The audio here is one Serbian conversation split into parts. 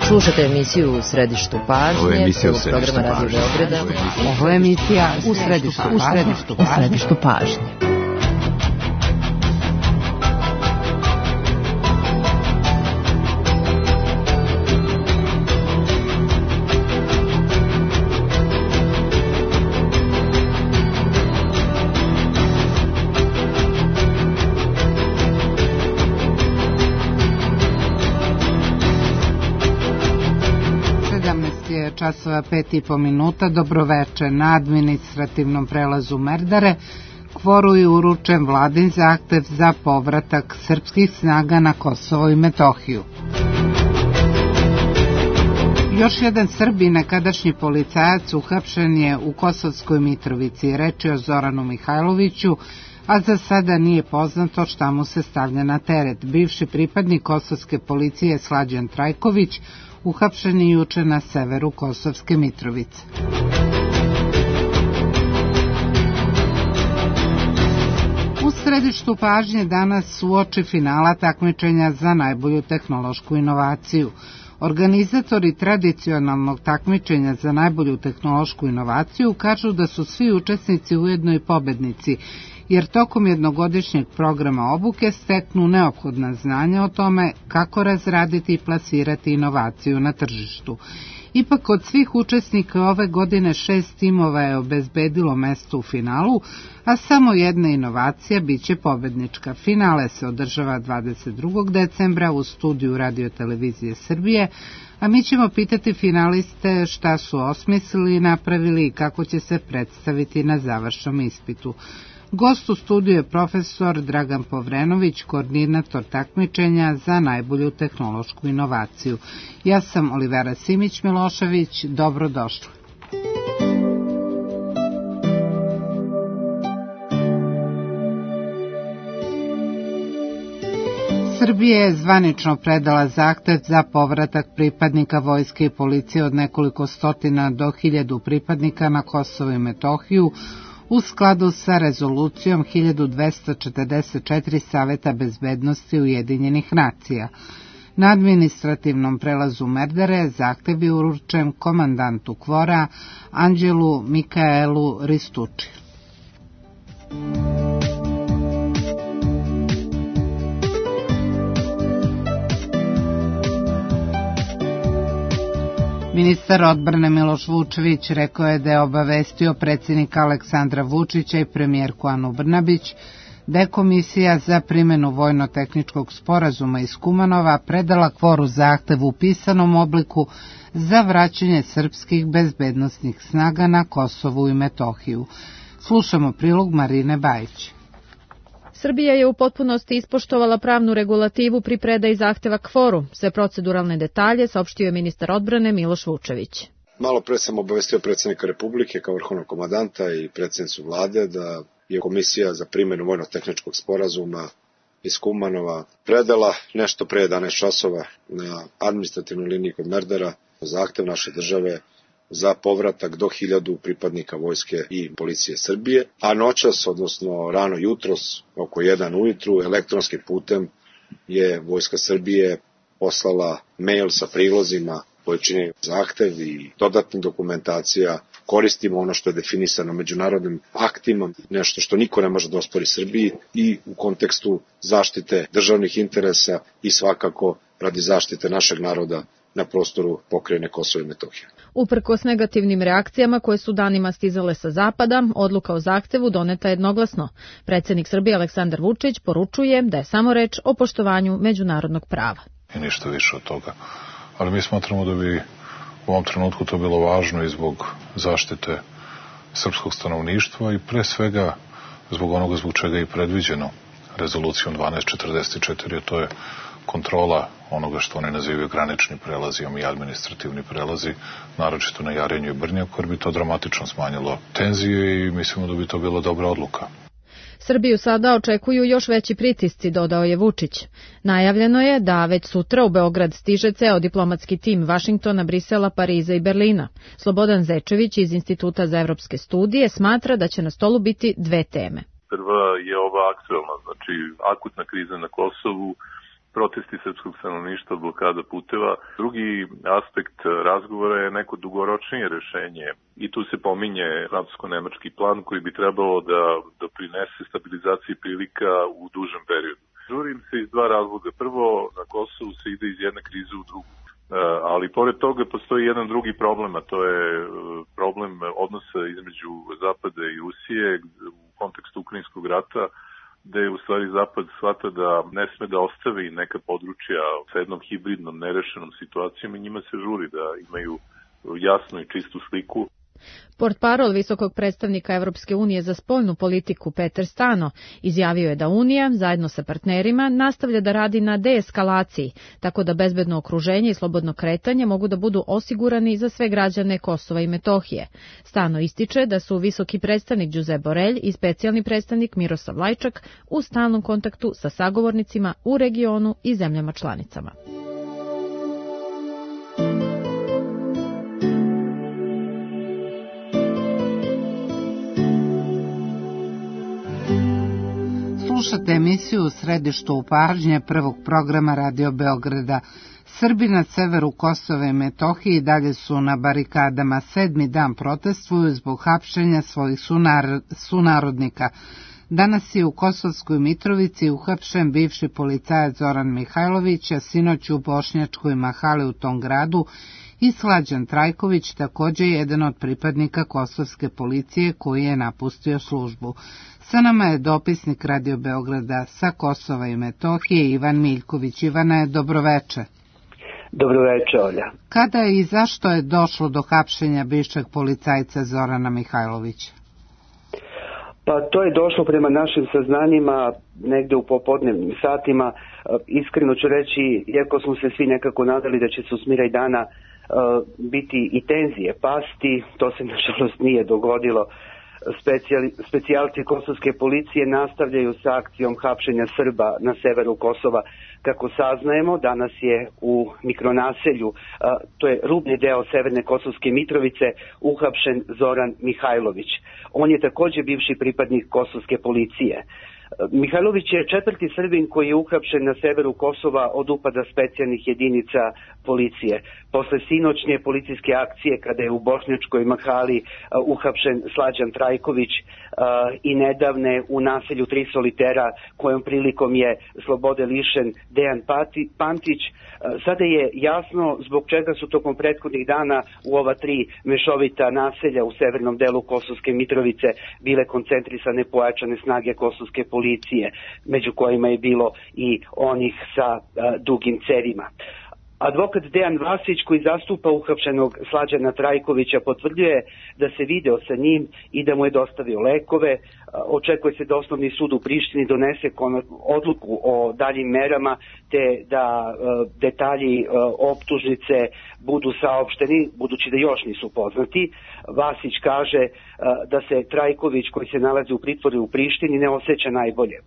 Slušate emisiju U središtu pažnje, prvog programa Radio Beograda. Ovo je emisija U središtu pažnje. Časova 5,5 minuta, dobroveče. Na administrativnom prelazu Merdare Kvoru je uručen vladin zahtev za povratak srpskih snaga na Kosovo i Metohiju. Još jedan Srbin, nekadašnji policajac, uhapšen je u Kosovskoj Mitrovici. Reč je o Zoranu Mihajloviću, a za sada nije poznato šta mu se stavlja na teret. Bivši pripadnik kosovske policije Slađan Trajković uhapšen je juče na severu Kosovske Mitrovice. U središtu pažnje danas uoči finala takmičenja za najbolju tehnološku inovaciju. Organizatori tradicionalnog takmičenja za najbolju tehnološku inovaciju kažu da su svi učesnici ujedno i pobednici, jer tokom jednogodišnjeg programa obuke steknu neophodna znanja o tome kako razraditi i plasirati inovaciju na tržištu. Ipak od svih učesnika ove godine 6 timova je obezbedilo mesto u finalu, a samo jedna inovacija biće pobednička. Finale se održava 22. decembra u studiju Radio-televizije Srbije, a mi ćemo pitati finaliste šta su osmislili i napravili i kako će se predstaviti na završnom ispitu. Gost u studiju je profesor Dragan Povrenović, koordinator takmičenja za najbolju tehnološku inovaciju. Ja sam Olivera Simić-Milošević, dobrodošli. Srbija je zvanično predala zahtev za povratak pripadnika vojske i policije od nekoliko stotina do 1000 pripadnika na Kosovo i Metohiju, u skladu sa rezolucijom 1244 Saveta bezbednosti Ujedinjenih nacija. Na administrativnom prelazu Merdare zahtev je uručen komandantu Kvora Anđelu Mikaelu Ristuči. Ministar odbrane Miloš Vučević rekao je da je obavestio predsjednika Aleksandra Vučića i premijerku Anu Brnabić da je Komisija za primjenu vojno-tehničkog sporazuma iz Kumanova predala Kvoru zahtev u pisanom obliku za vraćanje srpskih bezbednosnih snaga na Kosovu i Metohiju. Slušamo prilog Marine Bajić. Srbija je u potpunosti ispoštovala pravnu regulativu pri predaji zahteva Kvoru. Sve proceduralne detalje saopštio je ministar odbrane Miloš Vučević. Malo pre sam obavestio predsjednika Republike kao vrhovnog komandanta i predsjednicu vlade da je Komisija za primjenu vojno-tehničkog sporazuma iz Kumanova predala nešto pre 11 časova na administrativnoj liniji kod Merdara zahtev naše države za povratak do 1000 pripadnika vojske i policije Srbije, a noćas, odnosno rano jutros, oko 1 ujutru, elektronskim putem je Vojska Srbije poslala mail sa prilozima koji čine zahtev i dodatna dokumentacija. Koristimo ono što je definisano međunarodnim aktima, nešto što niko ne može da ospori Srbiji i u kontekstu zaštite državnih interesa i svakako radi zaštite našeg naroda na prostoru pokrajine Kosova i Metohije. Uprkos negativnim reakcijama koje su danima stizale sa zapada, odluka o zahtevu doneta jednoglasno. Predsjednik Srbije Aleksandar Vučić poručuje da je samo reč o poštovanju međunarodnog prava. I ništa više od toga. Ali mi smatramo da bi u ovom trenutku to bilo važno i zbog zaštite srpskog stanovništva i pre svega zbog onoga zbog čega je i predviđeno rezolucijom 1244, a to je kontrola onoga što oni nazivaju granični prelazi i administrativni prelazi, naročito na Jarinju i Brnjaku, jer bi to dramatično smanjilo tenzije i mislimo da bi to bila dobra odluka. Srbiju sada očekuju još veći pritisci, dodao je Vučić. Najavljeno je da već sutra u Beograd stiže ceo diplomatski tim Vašingtona, Brisela, Pariza i Berlina. Slobodan Zečević iz Instituta za evropske studije smatra da će na stolu biti dve teme. Prva je ova aktuelna, znači akutna kriza na Kosovu protesti srpskog stanovništva, blokada puteva. Drugi aspekt razgovora je neko dugoročnije rešenje i tu se pominje francusko-nemački plan koji bi trebalo da doprinese stabilizaciji prilika u dužem periodu. Žurim se iz dva razloga. Prvo, na Kosovu se ide iz jedne krize u drugu. Ali pored toga postoji jedan drugi problem, a to je problem odnosa između Zapada i Rusije u kontekstu Ukrajinskog rata, gde je u stvari Zapad shvata da ne sme da ostavi neka područja sa jednom hibridnom, nerešenom situacijom i njima se žuri da imaju jasnu i čistu sliku. Portparol visokog predstavnika Evropske unije za spoljnu politiku Peter Stano izjavio je da Unija, zajedno sa partnerima, nastavlja da radi na deeskalaciji, tako da bezbedno okruženje i slobodno kretanje mogu da budu osigurani za sve građane Kosova i Metohije. Stano ističe da su visoki predstavnik Josep Borrell i specijalni predstavnik Miroslav Lajčak u stalnom kontaktu sa sagovornicima u regionu i zemljama članicama. Slušate emisiju U središtu pažnje prvog programa Radio Beograda. Srbi na severu Kosova i Metohije i dalje su na barikadama. 7. dan protestuju zbog hapšenja svojih sunarodnika. Danas je u Kosovskoj Mitrovici uhapšen bivši policajac Zoran Mihajlović, a sinoć u Bošnjačkoj Mahali u tom gradu i Slađan Trajković, također jedan od pripadnika kosovske policije koji je napustio službu. Sa nama je dopisnik Radio Beograda sa Kosova i Metohije Ivan Miljković. Ivane, dobroveče. Dobroveče, Olja. Kada i zašto je došlo do hapšenja bivšeg policajca Zorana Mihajlovića? Pa to je došlo prema našim saznanjima negde u popodnevnim satima. Iskreno ću reći, iako smo se svi nekako nadali da će se u smiraj dana biti i tenzije pasti, to se nažalost nije dogodilo. Specijalci kosovske policije nastavljaju sa akcijom hapšenja Srba na severu Kosova. Kako saznajemo, danas je u mikronaselju, to je rubni deo severne Kosovske Mitrovice, uhapšen Zoran Mihajlović. On je također bivši pripadnik kosovske policije. Mihajlović je četvrti Srbin koji je uhapšen na severu Kosova od upada specijalnih jedinica policije. Posle sinoćnje policijske akcije kada je u Bošnjačkoj Mahali uhapšen Slađan Trajković i nedavne u naselju Tri solitera kojom prilikom je slobode lišen Dejan Pantić, sada je jasno zbog čega su tokom prethodnih dana u ova tri mešovita naselja u severnom delu Kosovske Mitrovice bile koncentrisane pojačane snage kosovske policije, među kojima je bilo i onih sa dugim cevima. Advokat Dejan Vasić, koji zastupa uhapšenog Slađana Trajkovića, potvrđuje da se video sa njim i da mu je dostavio lekove. Očekuje se da Osnovni sud u Prištini donese odluku o daljim merama, te da detalji optužnice budu saopšteni, budući da još nisu poznati. Vasić kaže da se Trajković, koji se nalazi u pritvoru u Prištini, ne osjeća najbolje.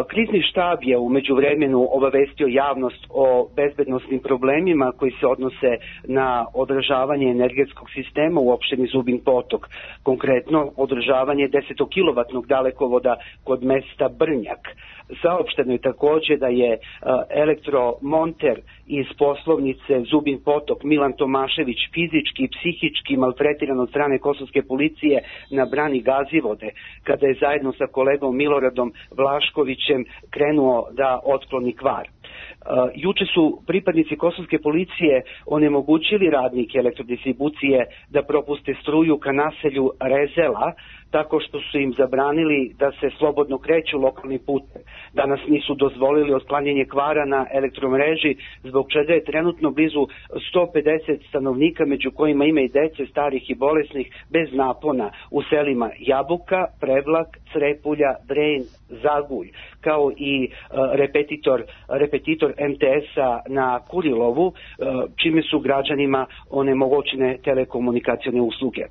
Krizni štab je u međuvremenu obavestio javnost o bezbednosnim problemima koji se odnose na održavanje energetskog sistema u opštini Zubin Potok. Konkretno, održavanje 10-kilovatnog dalekovoda kod mesta Brnjak. Saopšteno je također da je elektromonter iz poslovnice Zubin Potok Milan Tomašević fizički i psihički maltretiran od strane kosovske policije na brani Gazivode, kada je zajedno sa kolegom Miloradom Vlaškovićem krenuo da otkloni kvar. Juče su pripadnici kosovske policije onemogućili radnike elektrodistribucije da propuste struju ka naselju Rezela, tako što su im zabranili da se slobodno kreću lokalnim putem. Danas nisu dozvolili otklanjanje kvara na elektromreži, zbog čega je trenutno blizu 150 stanovnika, među kojima ima i dece, starih i bolesnih, bez napona u selima Jabuka, Prevlak, Crepulja, Dren, Zagulj, kao i repetitor MTS-a na Kurilovu, čime su građanima onemogućene telekomunikacione usluge.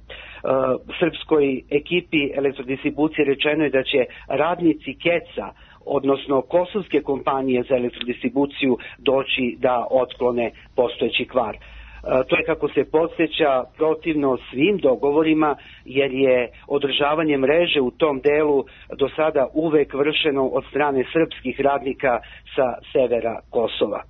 Srpskoj ekipi elektrodistribucije rečeno je da će radnici KEC-a, odnosno kosovske kompanije za elektrodistribuciju, doći da otklone postojeći kvar. To je, kako se podsjeća, protivno svim dogovorima, jer je održavanje mreže u tom delu do sada uvek vršeno od strane srpskih radnika sa severa Kosova.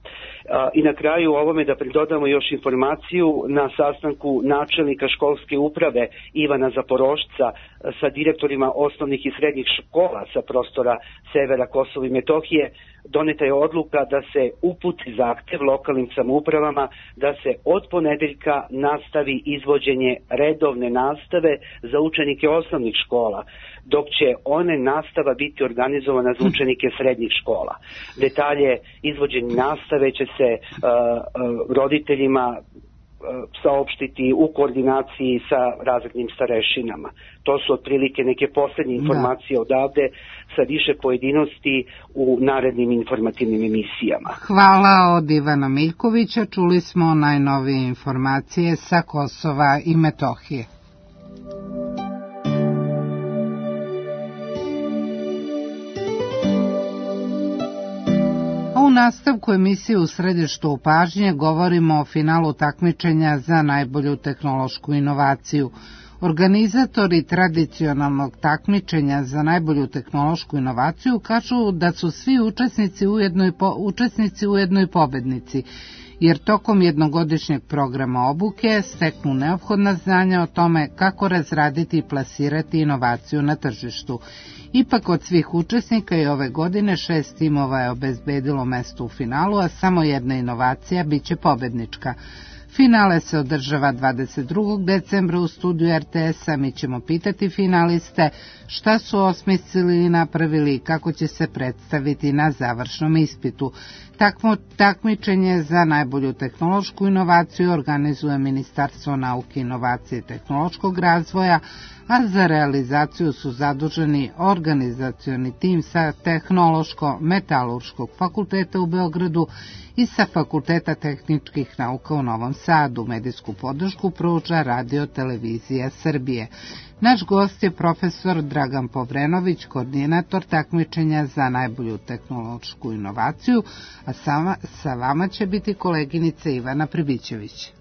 I na kraju ovome da pridodamo još informaciju, na sastanku načelnika školske uprave Ivana Zaporošca sa direktorima osnovnih i srednjih škola sa prostora severa Kosova i Metohije doneta je odluka da se uputi zahtev lokalnim samoupravama da se od ponedeljka nastavi izvođenje redovne nastave za učenike osnovnih škola, dok će one nastava biti organizovana za učenike srednjih škola. Detalje izvođenja nastave će se roditeljima saopštiti u koordinaciji sa razrednim starešinama. To su otprilike neke poslednje informacije odavde, sa više pojedinosti u narednim informativnim emisijama. Hvala od Ivana Miljkovića. Čuli smo najnovije informacije sa Kosova i Metohije. U nastavku emisije U središtu pažnje govorimo o finalu takmičenja za najbolju tehnološku inovaciju. Organizatori tradicionalnog takmičenja za najbolju tehnološku inovaciju kažu da su svi učesnici ujedno i pobednici, jer tokom jednogodišnjeg programa obuke steknu neophodna znanja o tome kako razraditi i plasirati inovaciju na tržištu. Ipak od svih učesnika i ove godine 6 timova je obezbedilo mesto u finalu, a samo jedna inovacija biće pobednička. Finale se održava 22. decembra u studiju RTS-a. Mi ćemo pitati finaliste šta su osmislili i napravili i kako će se predstaviti na završnom ispitu. Takmičenje za najbolju tehnološku inovaciju organizuje Ministarstvo nauke, inovacije i tehnološkog razvoja, a za realizaciju su zaduženi organizacioni tim sa Tehnološko-metalurškog fakulteta u Beogradu i sa Fakulteta tehničkih nauka u Novom Sadu. Medijsku podršku pruža Radio Televizija Srbije. Naš gost je profesor Dragan Povrenović, koordinator takmičenja za najbolju tehnološku inovaciju, a sa vama će biti koleginica Ivana Pribićević.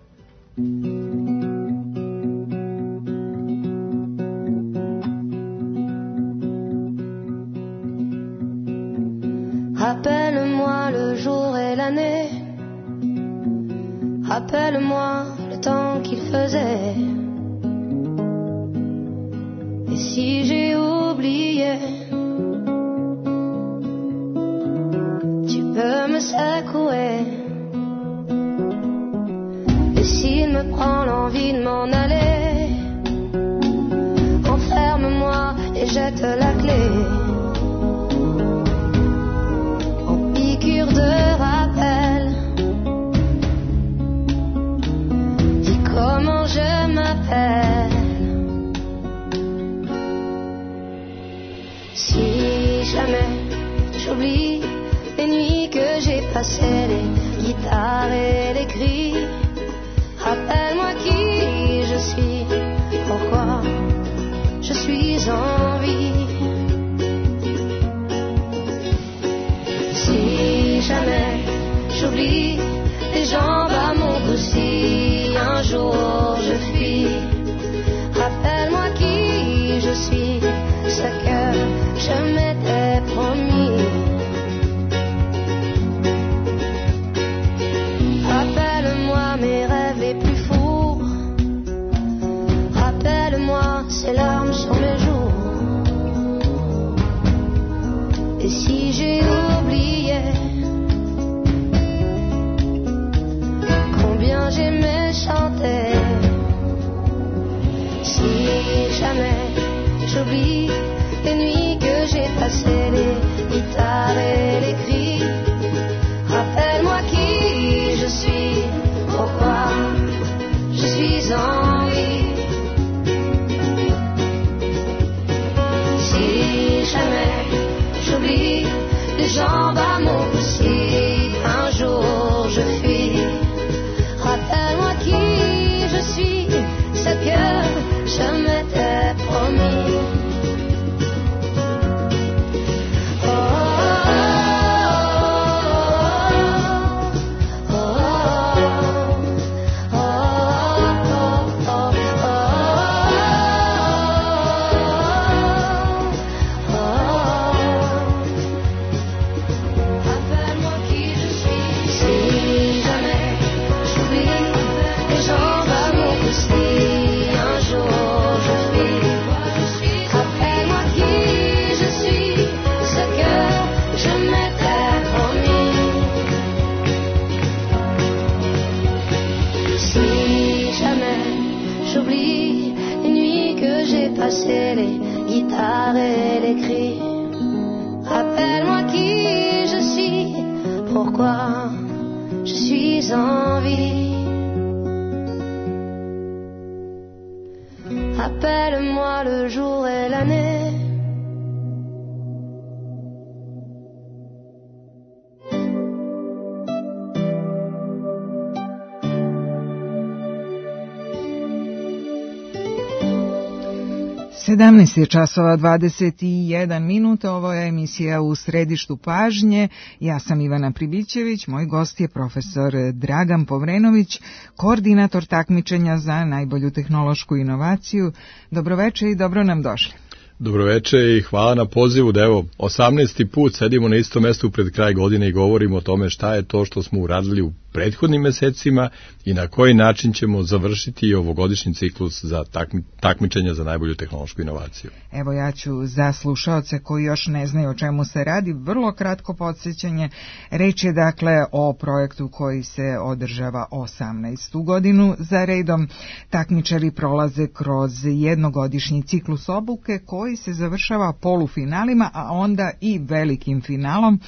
Rappelle-moi le jour et l'année, rappelle-moi le temps qu'il faisait. Et si j'ai oublié, tu peux me secouer. Et s'il me prend l'envie de m'en aller, enferme-moi et jette la clé. De rappel, dis comment je m'appelle. Si jamais j'oublie les nuits que j'ai passées, les guitares et les cris, rappelle-moi qui je suis, pourquoi je suis en vie. Jamais j'oublie les jambes à mon cou si un jour je fuis. Rappelle-moi qui je suis, ce que je m'étais promis. Rappelle-moi mes rêves les plus fous. Rappelle-moi ces larmes sur mes joues. Et si j'ai oublié combien j'aimais chanter, si jamais j'oublie les nuits que j'ai passées, les guitares et les cris, rappelle-moi qui je suis, pourquoi je suis en vie. Si jamais j'oublie les jambes à mon cou, si un jour je fuis, rappelle-moi qui je suis, ce que je m'étais promis. Oh, oh, oh, oh, oh, pourquoi je suis en vie. Appelle-moi le jour et l'année. Sedamnaest je časova 21 minuta, ovo je emisija U središtu pažnje, ja sam Ivana Pribićević, moj gost je profesor Dragan Povrenović, koordinator takmičenja za najbolju tehnološku inovaciju. Dobroveče i dobro nam došli. Dobroveče i hvala na pozivu da evo 18. put sedimo na istom mestu pred kraj godine i govorimo o tome šta je to što smo uradili u prethodnim mesecima i na koji način ćemo završiti ovogodišnji ciklus za takmičenja za najbolju tehnološku inovaciju. Evo ja ću za slušaoce koji još ne znaju o čemu se radi, vrlo kratko podsjećanje. Reč je dakle o projektu koji se održava 18. godinu za redom. Takmičari prolaze kroz jednogodišnji ciklus obuke koji se završava polufinalima, a onda i velikim finalom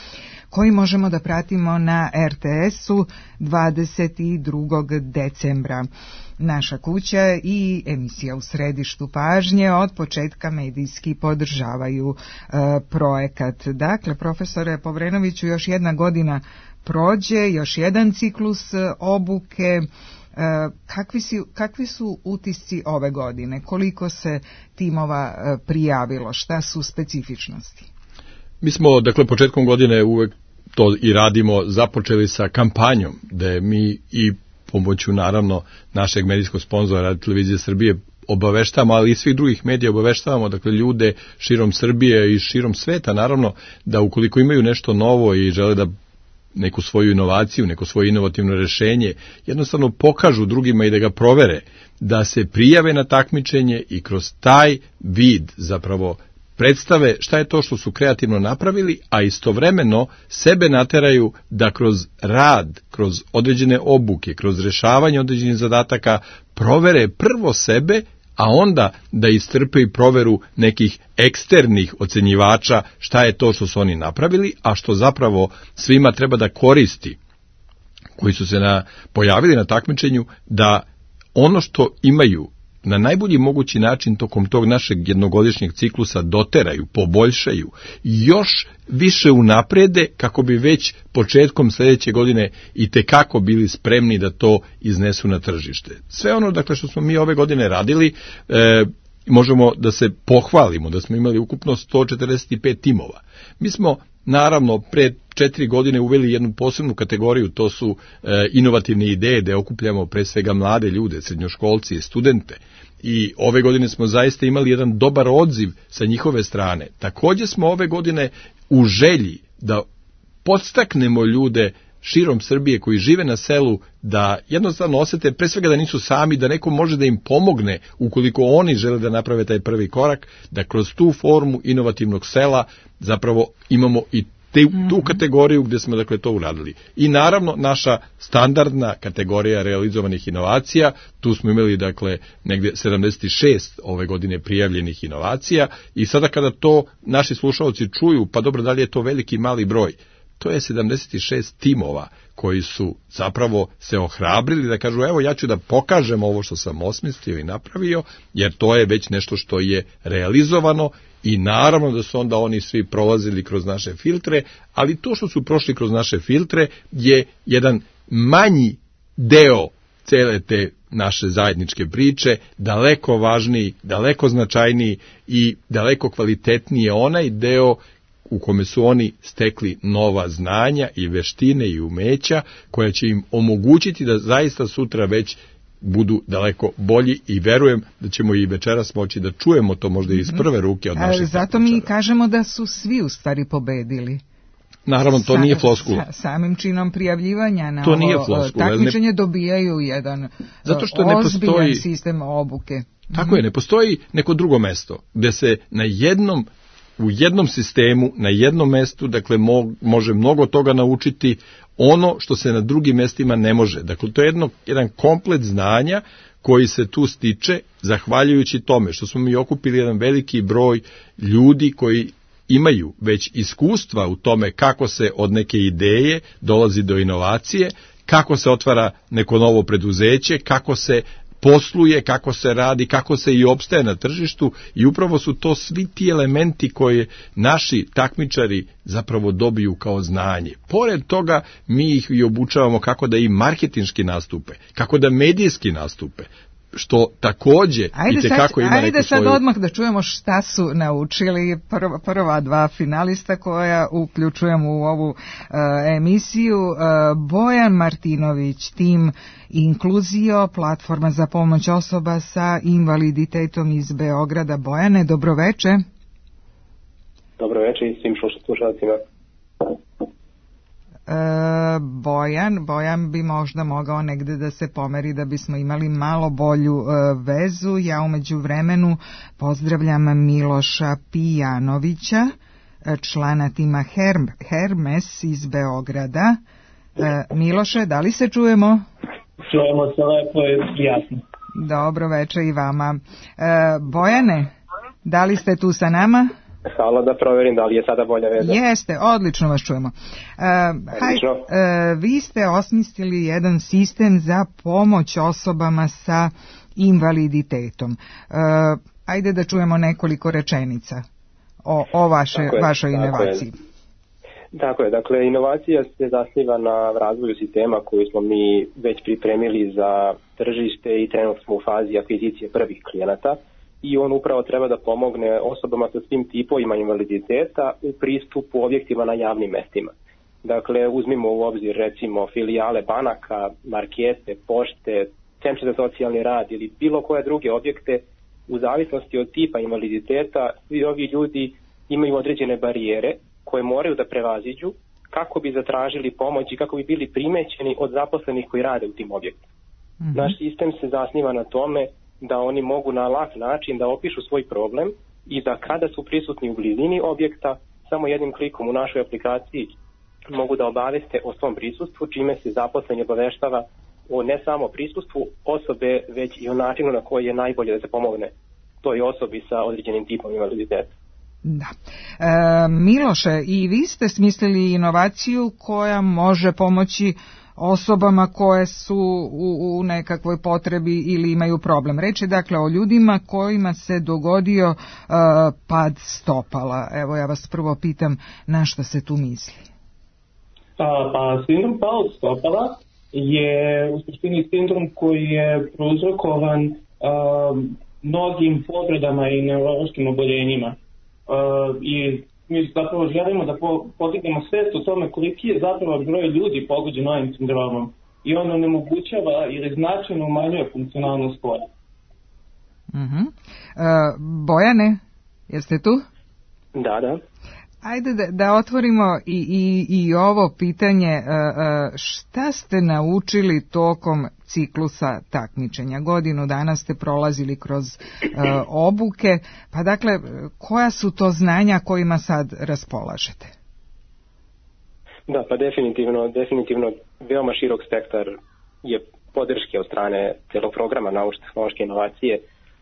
koji možemo da pratimo na RTS-u 22. decembra. Naša kuća i emisija U središtu pažnje od početka medijski podržavaju projekat. Dakle, profesore Povrenoviću, još jedna godina prođe, još jedan ciklus obuke. Kakvi su utisci ove godine? Koliko se timova prijavilo? Šta su specifičnosti? Mi smo, dakle, početkom godine uvek to i radimo, započeli sa kampanjom, da mi i pomoću, naravno, našeg medijskog sponzora Radio Televizije Srbije obaveštavamo, ali i svih drugih medija obaveštavamo, dakle, ljude širom Srbije i širom sveta, naravno, da ukoliko imaju nešto novo i žele da neku svoju inovaciju, neko svoje inovativno rešenje, jednostavno pokažu drugima i da ga provere, da se prijave na takmičenje i kroz taj vid zapravo predstave šta je to što su kreativno napravili, a istovremeno sebe nateraju da kroz rad, kroz određene obuke, kroz rešavanje određenih zadataka provere prvo sebe, a onda da istrpe i proveru nekih eksternih ocenjivača šta je to što su oni napravili, a što zapravo svima treba da koristi, koji su se pojavili na takmičenju, da ono što imaju na najbolji mogući način tokom tog našeg jednogodišnjeg ciklusa doteraju, poboljšaju, još više unaprede kako bi već početkom sljedeće godine i tekako bili spremni da to iznesu na tržište. Sve ono, dakle, što smo mi ove godine radili, možemo da se pohvalimo da smo imali ukupno 145 timova. Mi smo, naravno, pre 4 godine uveli jednu posebnu kategoriju, to su inovativne ideje, da okupljamo pre svega mlade ljude, srednjoškolci i studente. I ove godine smo zaista imali jedan dobar odziv sa njihove strane. Također smo ove godine u želji da podstaknemo ljude širom Srbije koji žive na selu, da jednostavno osete pre svega da nisu sami, da neko može da im pomogne ukoliko oni žele da naprave taj prvi korak, da kroz tu formu inovativnog sela zapravo imamo i tu kategoriju gdje smo, dakle, to uradili. I naravno naša standardna kategorija realizovanih inovacija, tu smo imali, dakle, negdje 76 ove godine prijavljenih inovacija i sada kada to naši slušalci čuju, pa dobro, da li je to veliki mali broj, to je 76 timova koji su zapravo se ohrabrili da kažu evo ja ću da pokažem ovo što sam osmislio i napravio, jer to je već nešto što je realizovano i naravno da su onda oni svi prolazili kroz naše filtre, ali to što su prošli kroz naše filtre je jedan manji deo cele te naše zajedničke priče, daleko važniji, daleko značajniji i daleko kvalitetniji je onaj deo u kome su oni stekli nova znanja i veštine i umeća koja će im omogućiti da zaista sutra već budu daleko bolji i verujem da ćemo i večeras moći da čujemo to možda iz prve ruke od naših zato takmičara. Mi kažemo da su svi u stvari pobedili. Naravno, to nije floskula. Samim činom prijavljivanja na ovo takmičenje dobijaju jedan ozbiljan sistem obuke. Tako je, ne postoji neko drugo mesto gde se u jednom sistemu, na jednom mestu, dakle, može mnogo toga naučiti ono što se na drugim mestima ne može. Dakle, to je jedan komplet znanja koji se tu stiče zahvaljujući tome što smo mi okupili jedan veliki broj ljudi koji imaju već iskustva u tome kako se od neke ideje dolazi do inovacije, kako se otvara neko novo preduzeće, kako se posluje, kako se radi, kako se i opstaje na tržištu, i upravo su to svi ti elementi koje naši takmičari zapravo dobiju kao znanje. Pored toga mi ih i obučavamo kako da i marketinški nastupe, kako da medijski nastupe, što takođe i tekako ima neku svoju... Ajde sad odmah da čujemo šta su naučili prva dva finalista koja uključujemo u ovu emisiju. Bojan Martinović, tim Inkluzio, platforma za pomoć osoba sa invaliditetom iz Beograda. Bojane, dobroveče. Dobroveče i svim slušalcima. Bojan bi možda mogao negde da se pomeri da bismo imali malo bolju vezu. Ja umeđu vremenu pozdravljam Miloša Pijanovića, člana tima Hermes iz Beograda. Miloše, da li se čujemo? Čujemo se lepo i jasno. Dobro veče i vama. Bojane, da li ste tu sa nama? Hvala, da proverim da li je sada bolja veza. Jeste, odlično vas čujemo. Vi ste osmislili jedan sistem za pomoć osobama sa invaliditetom. Ajde da čujemo nekoliko rečenica o vašoj inovaciji. Tako je, dakle, inovacija se zasniva na razvoju sistema koji smo mi već pripremili za tržište i trenutno smo u fazi akvizicije prvih klijenata. I on upravo treba da pomogne osobama sa svim tipovima invaliditeta u pristupu objektima na javnim mestima. Dakle, uzmimo u obzir recimo filijale banaka, markete, pošte, centre za socijalni rad ili bilo koje druge objekte. U zavisnosti od tipa invaliditeta, svi ovi ljudi imaju određene barijere koje moraju da prevaziđu kako bi zatražili pomoć i kako bi bili primećeni od zaposlenih koji rade u tim objektima. Naš sistem se zasniva na tome da oni mogu na lak način da opišu svoj problem i da kada su prisutni u blizini objekta, samo jednim klikom u našoj aplikaciji mogu da obaveste o svom prisustvu, čime se zaposleni obaveštava o ne samo prisustvu osobe, već i o načinu na koji je najbolje da se pomogne toj osobi sa određenim tipom invaliditeta. Da. Miloše, i vi ste smislili inovaciju koja može pomoći osobama koje su u nekakvoj potrebi ili imaju problem. Reč je dakle o ljudima kojima se dogodio pad stopala. Evo ja vas prvo pitam na šta se tu misli. Pa sindrom pad stopala je u suštini sindrom koji je prouzrokovan mnogim povredama i neurološkim oboljenjima. I mi zapravo želimo da podignemo svest o tome koliki je zapravo broj ljudi pogođen ovim sindromom i on onemogućava ili značajno umanjuje funkcionalnost spora. Bojane, jeste tu? Da. Ajde da otvorimo i ovo pitanje, šta ste naučili tokom ciklusa takmičenja? Godinu dana ste prolazili kroz obuke, pa dakle, koja su to znanja kojima sad raspolažete? Da, pa definitivno veoma širok spektar je podrške od strane celog programa naučno-tehnološke inovacije.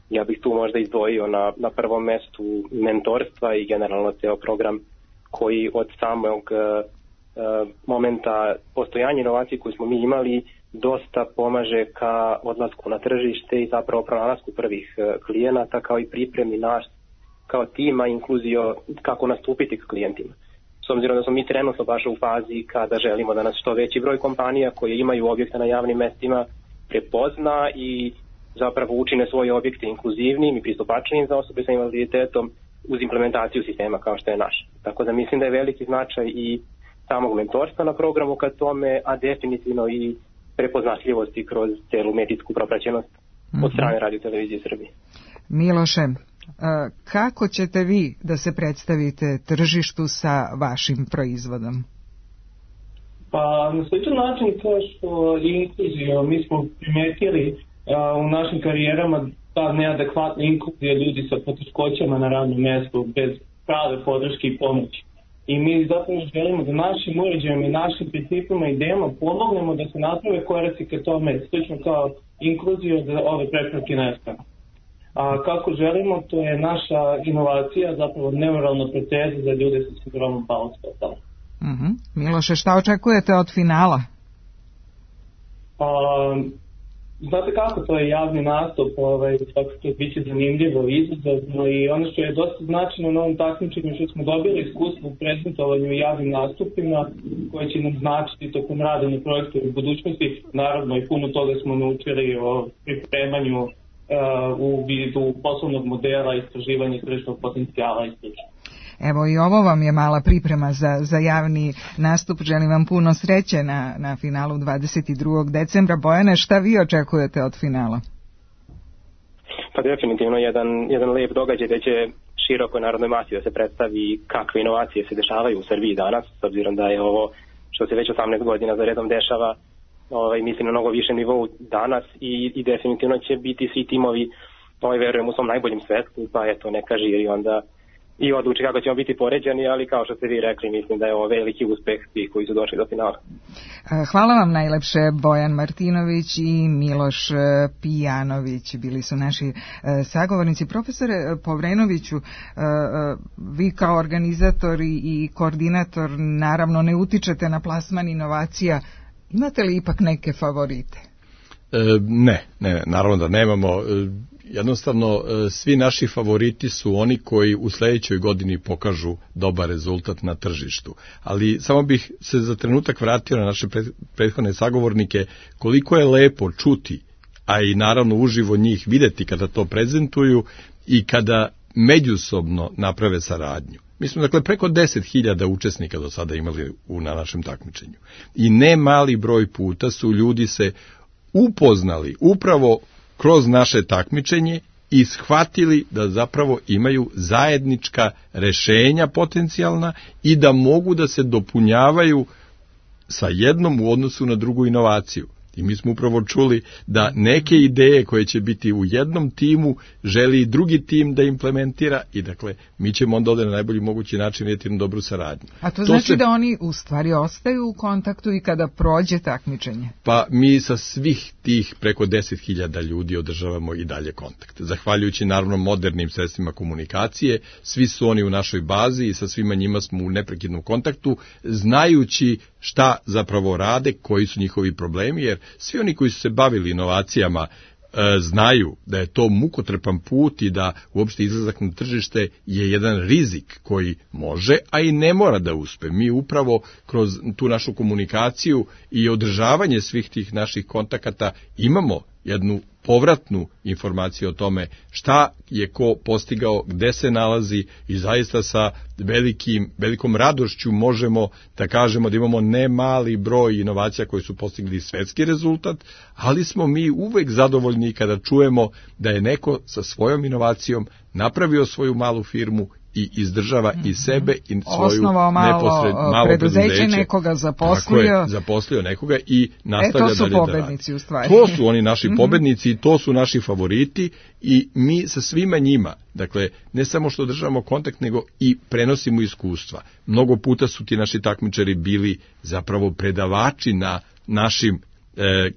Ja bih tu možda izdvojio na prvom mestu mentorstva i generalno ceo program koji od samog momenta postojanja inovacije koju smo mi imali dosta pomaže ka odlasku na tržište i zapravo pronalasku prvih klijenata, kao i pripremi naš kao tima inkluzio kako nastupiti k klijentima. S obzirom da smo mi trenutno baš u fazi kada želimo da nas što veći broj kompanija koje imaju objekte na javnim mestima prepozna i zapravo učine svoje objekte inkluzivnim i pristupačnim za osobe sa invaliditetom uz implementaciju sistema kao što je naš. Tako da mislim da je veliki značaj i samog mentorstva na programu ka tome, a definitivno i prepoznatljivosti kroz celu medijsku propraćenost od strane Radio Televizije Srbije. Miloše, kako ćete vi da se predstavite tržištu sa vašim proizvodom? Pa na sličan način kao što inkluzija, mi smo primetili u našim karijerama ta neadekvatna inkluzija ljudi sa poteškoćama na radnom mjestu bez prave podrške i pomoći. I mi zapravo želimo da našim uređajima i našim principima i idejama pomognemo da se naprave koraci ka tome, slično kao inkluzija da ove prepreke nestane. A kako želimo, to je naša inovacija, zapravo neuralna proteza za ljude sa sindromom Bowles-Fetela. Miloše, šta očekujete od finala? Znate kako, to je javni nastup, svakako to biće zanimljivo, izazovno i ono što je dosta značajno na ovom takmičenju što smo dobili iskustvo u prezentovanju i javnim nastupima koje će nam značiti tokom rada na projektu u budućnosti. Naravno i puno toga smo naučili o pripremanju u vidu poslovnog modela, istraživanja tržišnog potencijala i sl. Evo i ovo vam je mala priprema za javni nastup. Želim vam puno sreće na finalu 22. decembra. Bojane, šta vi očekujete od finala? Pa definitivno jedan lep događaj da će širokoj narodnoj masi da se predstavi kakve inovacije se dešavaju u Srbiji danas, s obzirom da je ovo što se već 18 godina za redom dešava, mislim na mnogo više nivou danas i definitivno će biti svi timovi, verujem, u svom najboljem svetlu, pa eto neka žiri onda i odluči kako ćemo biti poređani, ali kao što ste vi rekli, mislim da je ovo veliki uspeh svih koji su došli do finala. Hvala vam najlepše, Bojan Martinović i Miloš Pijanović, bili su naši sagovornici. Profesore Povrenoviću, vi kao organizator i koordinator naravno ne utičete na plasman inovacija, imate li ipak neke favorite? Ne, naravno da nemamo. Jednostavno, svi naši favoriti su oni koji u sljedećoj godini pokažu dobar rezultat na tržištu. Ali samo bih se za trenutak vratio na naše prethodne sagovornike, koliko je lepo čuti, a i naravno uživo njih vidjeti kada to prezentuju i kada međusobno naprave saradnju. Mi smo dakle preko 10.000 učesnika do sada imali na našem takmičenju. I ne mali broj puta su ljudi se upoznali upravo kroz naše takmičenje i shvatili da zapravo imaju zajednička rješenja potencijalna i da mogu da se dopunjavaju sa jednom u odnosu na drugu inovaciju. I mi smo upravo čuli da neke ideje koje će biti u jednom timu želi i drugi tim da implementira i dakle mi ćemo onda ovdje na najbolji mogući način vidjeti jednu dobru saradnju. A to znači da oni u stvari ostaju u kontaktu i kada prođe takmičenje? Pa mi sa svih tih preko 10.000 ljudi održavamo i dalje kontakt. Zahvaljujući naravno modernim sredstvima komunikacije, svi su oni u našoj bazi i sa svima njima smo u neprekidnom kontaktu, znajući šta zapravo rade, koji su njihovi problemi, jer svi oni koji su se bavili inovacijama znaju da je to mukotrpan put i da uopšte izlazak na tržište je jedan rizik koji može, a i ne mora da uspe. Mi upravo kroz tu našu komunikaciju i održavanje svih tih naših kontakata imamo jednu povratnu informaciju o tome šta je ko postigao, gde se nalazi i zaista sa velikom radošću možemo da kažemo da imamo ne mali broj inovacija koji su postigli svetski rezultat, ali smo mi uvek zadovoljni kada čujemo da je neko sa svojom inovacijom napravio svoju malu firmu i izdržava i sebe i svoju malo preduzeće, nekoga zaposlio nekoga i nastavlja dalje da radi. To su pobednici u stvari. To su oni naši pobednici i to su naši favoriti i mi sa svima njima, dakle, ne samo što državamo kontakt, nego i prenosimo iskustva. Mnogo puta su ti naši takmičari bili zapravo predavači na našim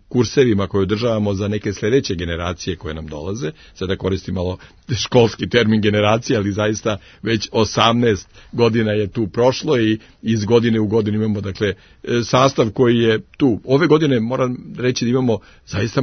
kursevima koje održavamo za neke sljedeće generacije koje nam dolaze. Sada koristim malo školski termin generacije, ali zaista već 18 godina je tu prošlo i iz godine u godinu imamo dakle sastav koji je tu. Ove godine moram reći da imamo zaista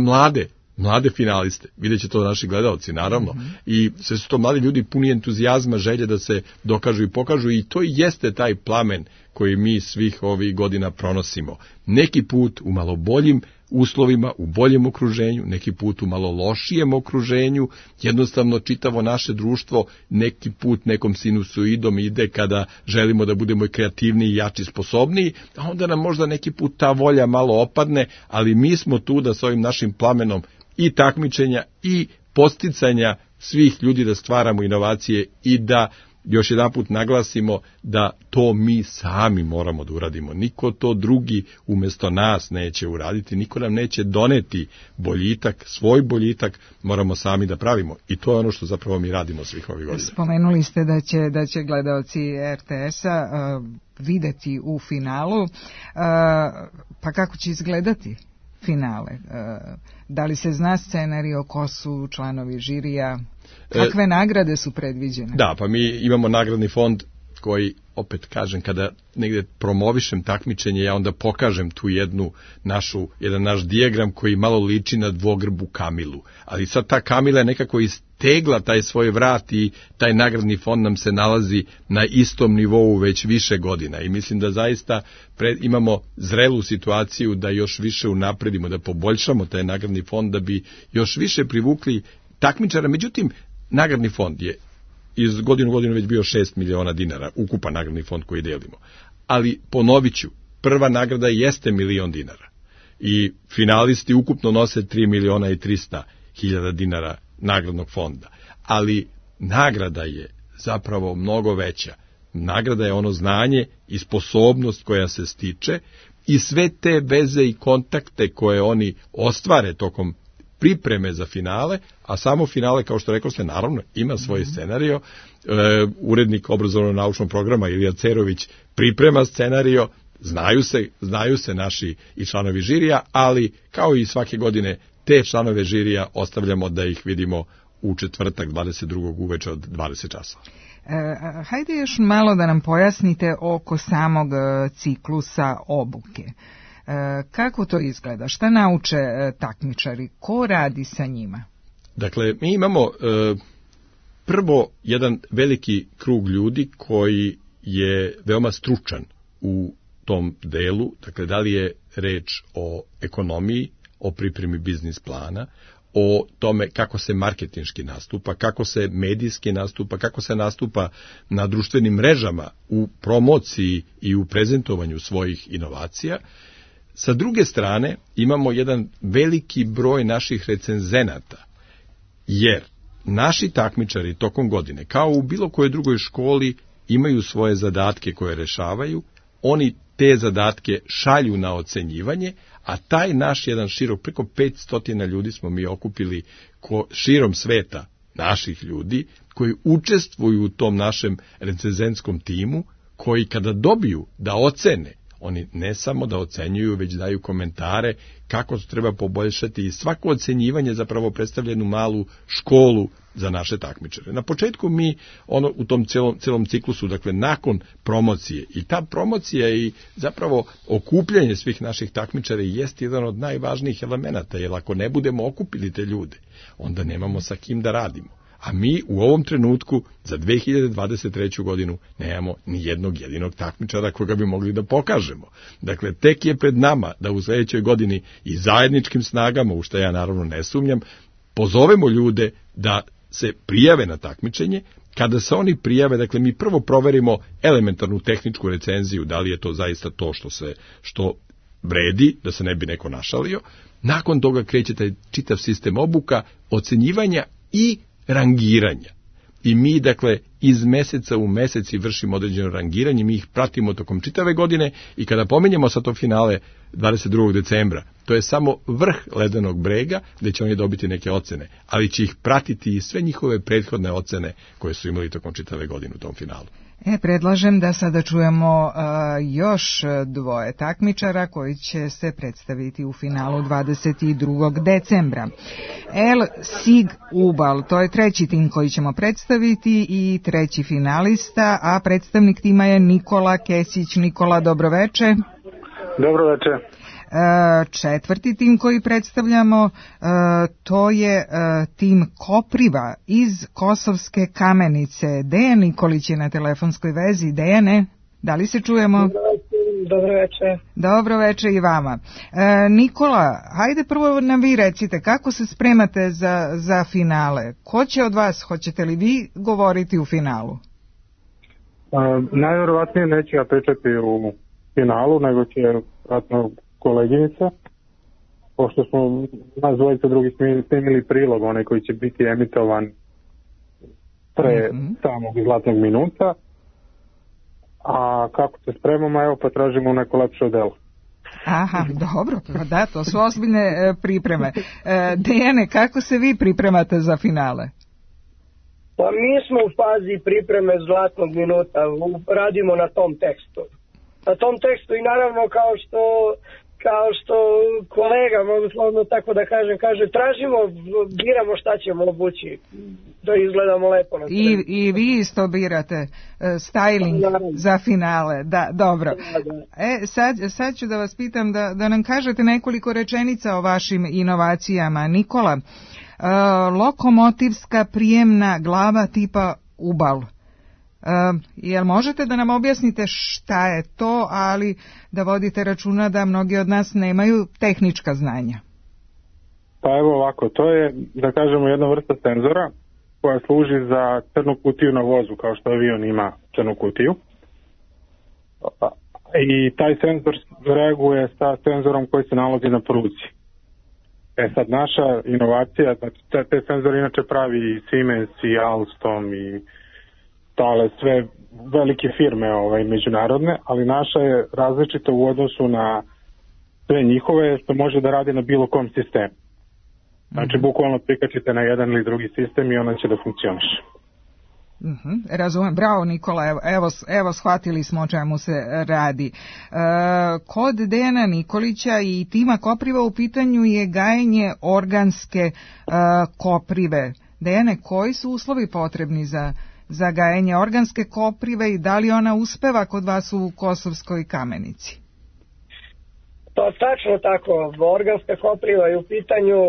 mlade finaliste, vidjet će to naši gledalci naravno, i sve su to mladi ljudi puni entuzijazma, želje da se dokažu i pokažu i to jeste taj plamen koji mi svih ovih godina pronosimo. Neki put u malo boljim uslovima, u boljem okruženju, neki put u malo lošijem okruženju, jednostavno čitavo naše društvo neki put nekom sinusoidom ide kada želimo da budemo i kreativniji, jači, sposobniji, a onda nam možda neki put ta volja malo opadne, ali mi smo tu da s ovim našim plamenom i takmičenja i posticanja svih ljudi da stvaramo inovacije i da još jedanput naglasimo da to mi sami moramo da uradimo. Niko to drugi umjesto nas neće uraditi, niko nam neće doneti boljitak, svoj boljitak moramo sami da pravimo. I to je ono što zapravo mi radimo svih ovih godina. Spomenuli ste da će gledaoci RTS-a videti u finalu, pa kako će izgledati finale? Da li se zna scenario, ko su članovi žirija, kakve nagrade su predviđene? Da, pa mi imamo nagradni fond koji, opet kažem, kada negde promovišem takmičenje, ja onda pokažem tu jedan naš dijagram koji malo liči na dvogrbu Kamilu. Ali sad ta Kamila je nekako istegla taj svoj vrat i taj nagradni fond nam se nalazi na istom nivou već više godina. I mislim da zaista imamo zrelu situaciju da još više unapredimo, da poboljšamo taj nagradni fond, da bi još više privukli takmičara. Međutim, nagradni fond je iz godinu u godinu već bio 6 miliona dinara, ukupan nagradni fond koji delimo. Ali, ponovit ću, prva nagrada jeste 1 milion dinara. I finalisti ukupno nose 3 miliona i 300 hiljada dinara nagradnog fonda. Ali, nagrada je zapravo mnogo veća. Nagrada je ono znanje i sposobnost koja se stiče i sve te veze i kontakte koje oni ostvare tokom pripreme za finale, a samo finale, kao što rekao ste, naravno, ima svoj scenario. Urednik obrazovno-naučnog programa Ilija Cerović priprema scenario, znaju se naši i članovi žirija, ali kao i svake godine te članove žirija ostavljamo da ih vidimo u četvrtak 22. uveče od 20 časova. Hajde još malo da nam pojasnite oko samog ciklusa obuke. Kako to izgleda? Šta nauče takmičari? Ko radi sa njima? Dakle, mi imamo prvo jedan veliki krug ljudi koji je veoma stručan u tom delu. Dakle, da li je reč o ekonomiji, o pripremi biznis plana, o tome kako se marketinški nastupa, kako se medijski nastupa, kako se nastupa na društvenim mrežama u promociji i u prezentovanju svojih inovacija. Sa druge strane, imamo jedan veliki broj naših recenzenata, jer naši takmičari tokom godine, kao u bilo kojoj drugoj školi, imaju svoje zadatke koje rešavaju, oni te zadatke šalju na ocenjivanje, a taj naš jedan širok, preko 500 ljudi smo mi okupili širom sveta naših ljudi, koji učestvuju u tom našem recenzentskom timu, koji kada dobiju da ocene, oni ne samo da ocenjuju, već daju komentare kako to treba poboljšati i svako ocenjivanje zapravo predstavlja jednu malu školu za naše takmičare. Na početku mi u tom celom ciklusu, dakle nakon promocije, i ta promocija i zapravo okupljanje svih naših takmičara jeste jedan od najvažnijih elemenata, jer ako ne budemo okupili te ljude, onda nemamo sa kim da radimo. A mi u ovom trenutku za 2023. godinu nemamo ni jednog jedinog takmičara koga bi mogli da pokažemo. Dakle, tek je pred nama da u sljedećoj godini i zajedničkim snagama, u što ja naravno ne sumnjam, pozovemo ljude da se prijave na takmičenje. Kada se oni prijave, dakle, mi prvo proverimo elementarnu tehničku recenziju, da li je to zaista to što vredi, da se ne bi neko našalio. Nakon toga kreće taj čitav sistem obuka, ocenjivanja i rangiranja. I mi, dakle, iz meseca u meseci vršimo određeno rangiranje, mi ih pratimo tokom čitave godine i kada pomenjamo sa to finale 22. decembra, to je samo vrh ledenog brega gde će oni dobiti neke ocene, ali će ih pratiti i sve njihove prethodne ocene koje su imali tokom čitave godine u tom finalu. Predlažem da sada čujemo još dvoje takmičara koji će se predstaviti u finalu 22. decembra. El Sig Ubal, to je treći tim koji ćemo predstaviti i treći finalista, a predstavnik tima je Nikola Kesić. Nikola, dobroveče. Dobroveče. Četvrti tim koji predstavljamo, to je tim Kopriva iz Kosovske Kamenice. Dejan Nikolić je na telefonskoj vezi. Dejane, da li se čujemo? Dobroveče. Dobroveče i vama. Nikola, hajde prvo nam vi recite, kako se spremate za finale? Ko će od vas, hoćete li vi govoriti u finalu? Najvjerovatnije neću ja pričati u finalu, nego će vratno koleginica, pošto smo nas dvojica drugi snimili prilog, onaj koji će biti emitovan pre samog zlatnog minuta. A kako se spremamo, evo pa tražimo neko lepše delo. Aha, dobro, da, to su ozbiljne pripreme. Dejane, kako se vi pripremate za finale? Pa mi smo u fazi pripreme zlatnog minuta, radimo na tom tekstu. Na tom tekstu i naravno kao što kolega, mogu slobodno tako da kažem, kaže tražimo, biramo šta ćemo obući da izgledamo lepo na sceni. I vi isto birate styling za finale, da, dobro. Sad ću da vas pitam da nam kažete nekoliko rečenica o vašim inovacijama. Nikola, lokomotivska prijemna glava tipa Ubal. Jel možete da nam objasnite šta je to, ali da vodite računa da mnogi od nas nemaju tehnička znanja? Pa evo ovako, to je, da kažemo, jedna vrsta senzora koja služi za crnu kutiju na vozu, kao što avion ima crnu kutiju. I taj senzor reaguje sa senzorom koji se nalazi na pruzi. Sad naša inovacija, znači te senzore inače pravi i Siemens i Alstom i Thales, sve velike firme međunarodne, ali naša je različita u odnosu na sve njihove, što može da radi na bilo kom sistemu. Znači, bukvalno prikačite na jedan ili drugi sistem i ona će da funkcioniše. Razumem, bravo Nikola, evo shvatili smo o čemu se radi. Kod Dejana Nikolića i tima Kopriva u pitanju je gajenje organske koprive. Dejane, koji su uslovi potrebni za gajenje organske koprive i da li ona uspeva kod vas u Kosovskoj Kamenici? Pa tačno tako, organska kopriva je u pitanju,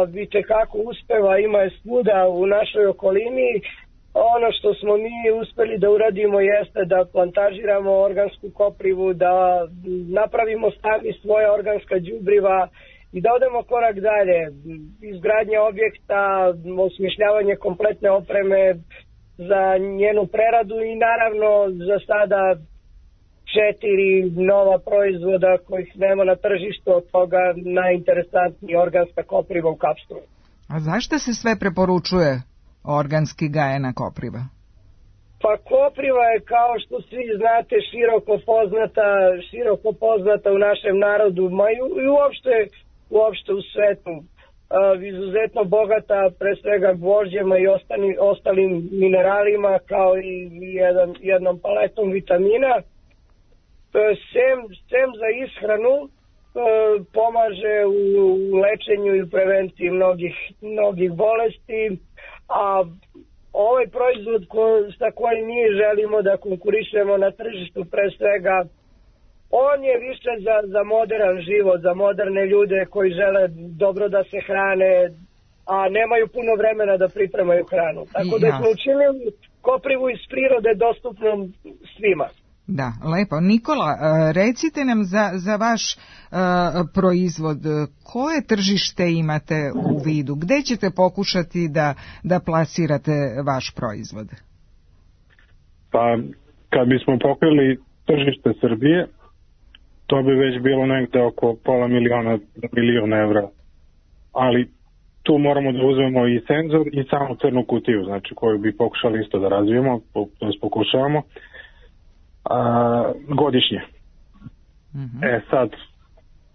vidite kako uspeva, ima je svuda u našoj okolini. Ono što smo mi uspeli da uradimo jeste da plantažiramo organsku koprivu, da napravimo sami svoje organska đubriva i da odemo korak dalje. Izgradnja objekta, osmišljavanje kompletne opreme za njenu preradu i naravno za sada 4 nova proizvoda kojih nema na tržištu, od toga najinteresantniji organska kopriva u kapsulu. A zašto se sve preporučuje organski gajena kopriva? Pa kopriva je, kao što svi znate, široko poznata u našem narodu, i uopšte u svetu. Izuzetno bogata pre svega gvožđema i ostalim mineralima, kao i jednom paletom vitamina. Sem za ishranu pomaže u lečenju i prevenciji mnogih bolesti, a ovaj proizvod sa kojim mi želimo da konkurišemo na tržištu, pre svega, on je više za modern život, za moderne ljude koji žele dobro da se hrane, a nemaju puno vremena da pripremaju hranu. Tako da smo učinili koprivu iz prirode dostupnom svima. Da, lepo. Nikola, recite nam za vaš proizvod, koje tržište imate u vidu? Gde ćete pokušati da plasirate vaš proizvod? Pa, kad bismo pokrili tržište Srbije, to bi već bilo negde oko $500,000 evra. Ali tu moramo da uzmemo i senzor i samu crnu kutiju, znači koju bi pokušali isto da razvijemo, to pokušavamo, godišnje. Sad,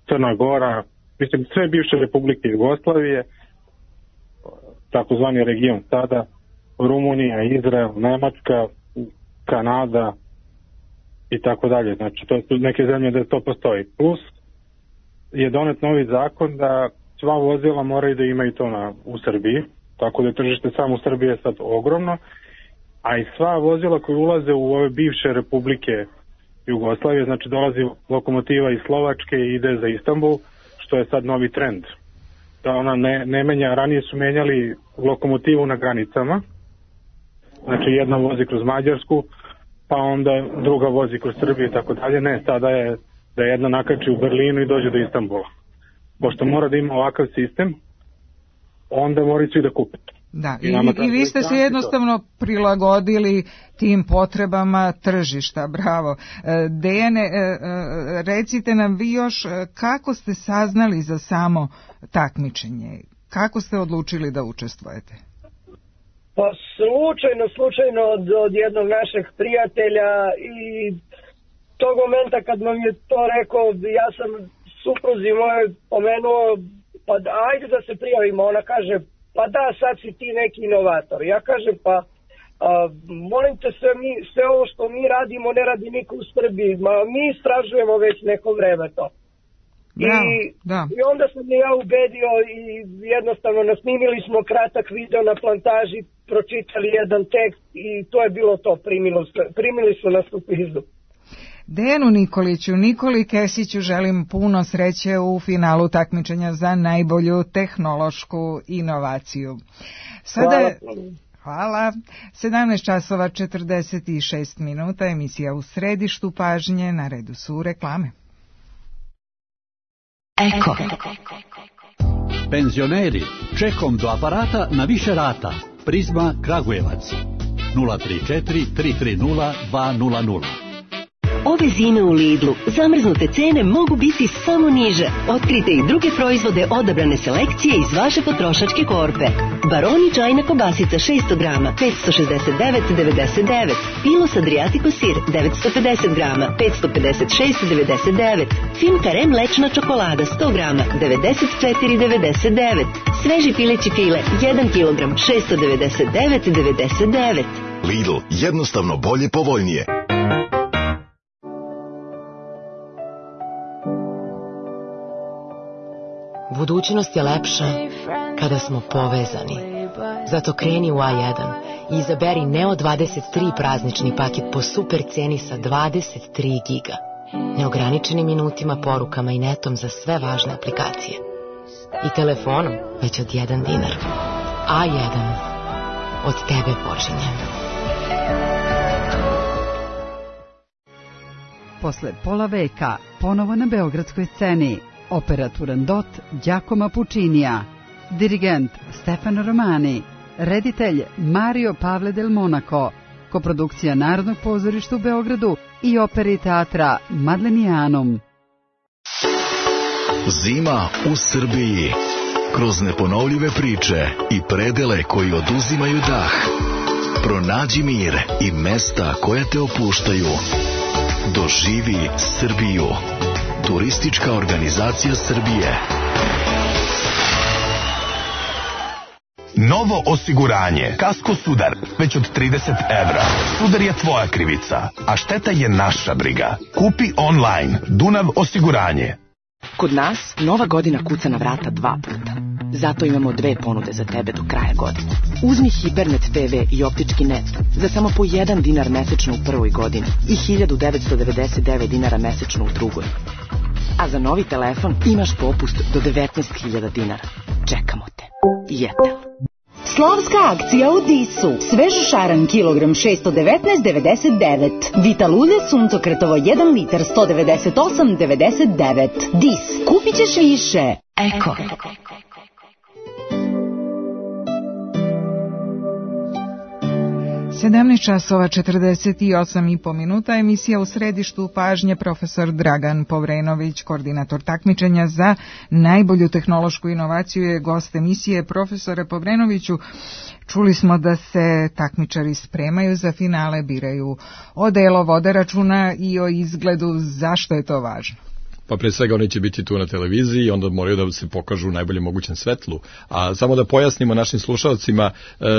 Crna Gora, mislim, sve bivše republike Jugoslavije, takozvani region sada, Rumunija, Izrael, Nemačka, Kanada i tako dalje. Znači, to su neke zemlje da to postoji. Plus je donet novi zakon da sva vozila moraju da imaju to u Srbiji, tako da je tržište samo u Srbiji je sad ogromno, a i sva vozila koje ulaze u ove bivše republike Jugoslavije, znači dolazi lokomotiva iz Slovačke i ide za Istanbul, što je sad novi trend. Da ona ne menja, ranije su menjali lokomotivu na granicama, znači jedna vozi kroz Mađarsku, pa onda druga vozi kroz Srbiju i tako dalje. Ne, sada je da jedna nakači u Berlinu i dođe do Istanbula. Pošto mora da ima ovakav sistem, onda moraju svi da kupe. Da, i vi ste se jednostavno prilagodili tim potrebama tržišta, bravo. Dejane, recite nam vi još kako ste saznali za samo takmičenje, kako ste odlučili da učestvujete? Pa slučajno od jednog našeg prijatelja i tog momenta kad nam je to rekao, ja sam supruzi moje pomenuo, pa ajde da se prijavimo, ona kaže, pa da, sad si ti neki inovator. Ja kažem, pa molim te, sve ovo što mi radimo ne radi niko u Srbiji, mi istražujemo već neko vreme to. I onda sam ja ubedio i jednostavno nasnimili smo kratak video na plantaži, pročitali jedan tekst i to je bilo to, primili su nas u pizdu. Dejanu Nikoliću, Nikoli Kesiću želim puno sreće u finalu takmičenja za najbolju tehnološku inovaciju. Hvala. 17 časova 46 minuta, emisija U središtu pažnje, na redu su reklame. Eko. Penzioneri, čekom do aparata na više rata. Prizma Kragujevac. 034 330 200. Ove zime u Lidlu zamrznute cene mogu biti samo niže. Otkrite i druge proizvode odabrane selekcije iz vaše potrošačke korpe. Baroni čajna kobasica 600 grama 569,99. Pilos Adriatico sir 950 grama 556,99. Finkarem mlečna čokolada 100 grama 94,99. Sveži pileći file 1 kg 699,99. Lidl, jednostavno bolje, povoljnije. Budućnost je lepša kada smo povezani. Zato kreni u A1 i izaberi Neo 23 praznični paket po super ceni sa 23 giga. Neograničenim minutima, porukama i netom za sve važne aplikacije. I telefonom već od 1 dinar. A1. Od tebe počinje. Posle pola veka, ponovo na beogradskoj sceni. Opera Turandot Giacomo Puccinija, dirigent Stefano Romani, reditelj Mario Pavle del Monaco, koprodukcija Narodnog pozorišta u Beogradu i opere i teatra Madlenijanum. Zima u Srbiji. Kroz neponovljive priče i predele koji oduzimaju dah. Pronađi mir i mesta koja te opuštaju. Doživi Srbiju. Turistička organizacija Srbije. Novo osiguranje. Kasko Sudar. Već od 30 evra. Sudar je tvoja krivica, a šteta je naša briga. Kupi online. Dunav osiguranje. Kod nas Nova godina kuca na vrata 2 puta. Zato imamo 2 ponude za tebe do kraja godine. Uzmi Hibernet TV i optički net za samo po 1 dinar mesečno u prvoj godini i 1999 dinara mesečno u drugoj. A za novi telefon imaš popust do 19.000 dinara. Čekamo te. Jetel. Slavska akcija u Disu. Svež šaran kilogram 619,99. Vital ulje suncokretovo 1 litar 198,99. Dis. Kupit ćeš više. Eko. časova 48,5 minuta, emisija U središtu pažnje, profesor Dragan Povrenović, koordinator takmičenja za najbolju tehnološku inovaciju, je gost emisije. Profesore Povrenoviću, čuli smo da se takmičari spremaju za finale, biraju odelo, vode računa i o izgledu. Zašto je to važno? Pa pre svega oni će biti tu na televiziji, onda moraju da se pokažu u najboljem mogućem svetlu. A samo da pojasnimo našim slušalcima